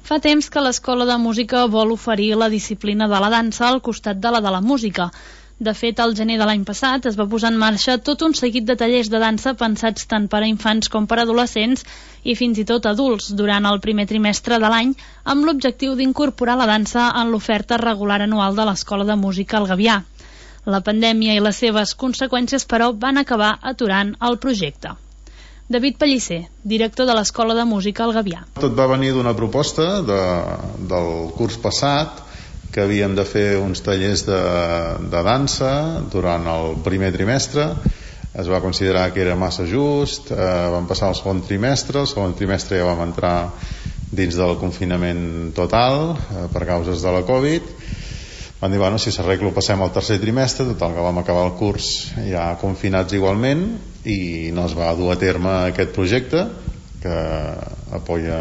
Fa temps que l'Escola de Música vol oferir la disciplina de la dansa al costat de la música. De fet, al gener de l'any passat es va posar en marxa tot un seguit de tallers de dansa pensats tant per a infants com per a adolescents i fins i tot adults durant el primer trimestre de l'any, amb l'objectiu d'incorporar la dansa en l'oferta regular anual de l'Escola de Música al Gavià. La pandèmia i les seves conseqüències, però, van acabar aturant el projecte. David Pellicer, director de l'Escola de Música al Gavià. Tot va venir d'una proposta del curs passat, que havíem de fer uns tallers de dansa durant el primer trimestre. Es va considerar que era massa just, vam passar al segon trimestre. El segon trimestre ja vam entrar dins del confinament total per causes de la Covid. Van dir, bueno, si s'arregla ho passem al tercer trimestre, total que vam acabar el curs ja confinats igualment i no es va dur a terme aquest projecte que apoya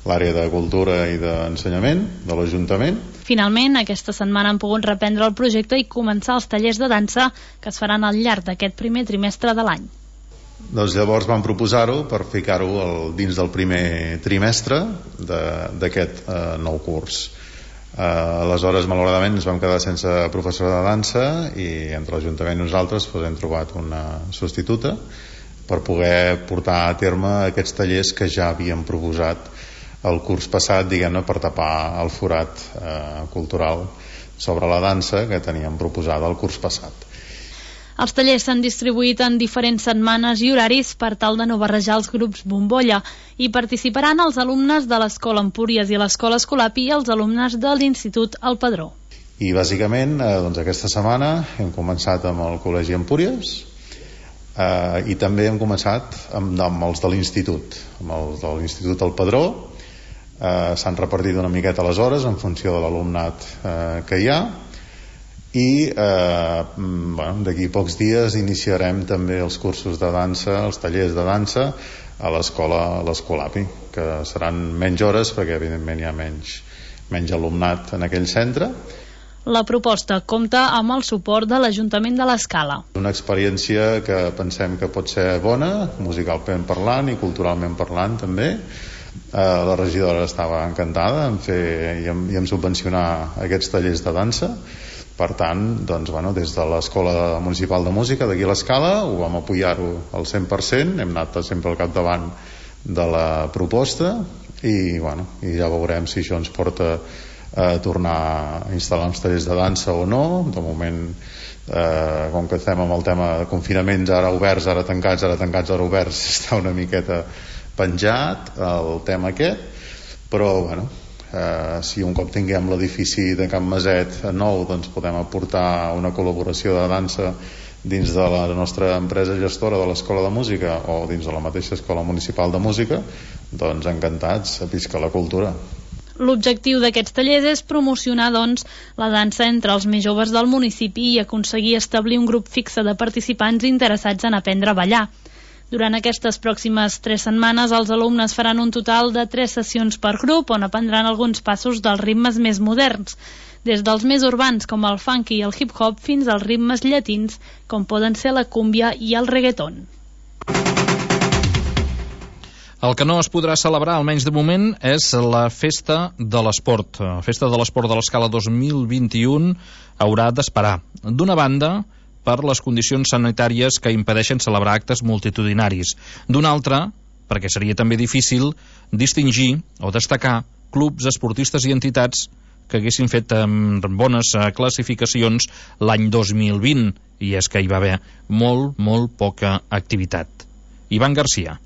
l'àrea de cultura i d'ensenyament de l'Ajuntament. Finalment, aquesta setmana han pogut reprendre el projecte i començar els tallers de dansa que es faran al llarg d'aquest primer trimestre de l'any. Doncs llavors vam proposar-ho per ficar-ho dins del primer trimestre d'aquest nou curs. Aleshores, malauradament, ens vam quedar sense professor de dansa i entre l'Ajuntament i nosaltres hem trobat una substituta per poder portar a terme aquests tallers que ja havíem proposat el curs passat, diguem-ne, per tapar el forat cultural sobre la dansa que teníem proposada el curs passat. Els tallers s'han distribuït en diferents setmanes i horaris per tal de no barrejar els grups bombolla i participaran els alumnes de l'Escola Empúries i l'Escola Escolapi i els alumnes de l'Institut El Padró. I bàsicament, doncs aquesta setmana hem començat amb el Col·legi Empúries i també hem començat amb els de l'Institut, amb els de l'Institut El Padró. S'han repartit una miqueta les hores en funció de l'alumnat que hi ha i d'aquí a pocs dies iniciarem també els cursos de dansa, els tallers de dansa a l'Escolapi, que seran menys hores perquè evidentment hi ha menys alumnat en aquell centre. La proposta compta amb el suport de l'Ajuntament de l'Escala. Una experiència que pensem que pot ser bona, musicalment parlant i culturalment parlant també. La regidora estava encantada en fer i en subvencionar aquests tallers de dansa. Per tant, doncs, des de l'Escola Municipal de Música d'aquí a l'Escala ho vam apoyar-ho al 100%, hem anat sempre al capdavant de la proposta i ja veurem si això ens porta a tornar a instal·lar uns tallers de dansa o no. De moment, com que estem amb el tema de confinaments, ara oberts, ara tancats, ara oberts, està una miqueta penjat el tema aquest, però si un cop tinguem l'edifici de Can Maset nou, doncs podem aportar una col·laboració de dansa dins de la nostra empresa gestora de l'Escola de Música o dins de la mateixa Escola Municipal de Música, doncs encantats, visca la cultura. L'objectiu d'aquests tallers és promocionar, la dansa entre els més joves del municipi i aconseguir establir un grup fixe de participants interessats en aprendre a ballar. Durant aquestes pròximes 3 setmanes, els alumnes faran un total de 3 sessions per grup on aprendran alguns passos dels ritmes més moderns, des dels més urbans com el funky i el hip-hop fins als ritmes llatins com poden ser la cúmbia i el reggaeton. El que no es podrà celebrar, almenys de moment, és la Festa de l'Esport. La Festa de l'Esport de l'Escala 2021 haurà d'esperar. D'una banda, per les condicions sanitàries que impedeixen celebrar actes multitudinaris. D'una altra, perquè seria també difícil distingir o destacar clubs, esportistes i entitats que haguessin fet bones classificacions l'any 2020, i és que hi va haver molt poca activitat. Ivan Garcia.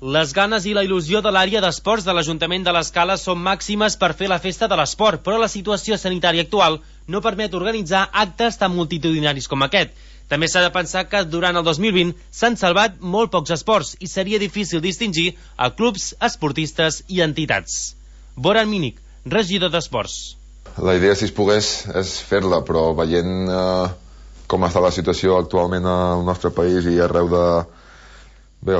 Les ganes i la il·lusió de l'àrea d'esports de l'Ajuntament de l'Escala són màximes per fer la Festa de l'Esport, però la situació sanitària actual no permet organitzar actes tan multitudinaris com aquest. També s'ha de pensar que durant el 2020 s'han salvat molt pocs esports i seria difícil distingir a clubs, esportistes i entitats. Boran Mínic, regidor d'Esports. La idea, si es pogués, és fer-la, però veient com està la situació actualment al nostre país i arreu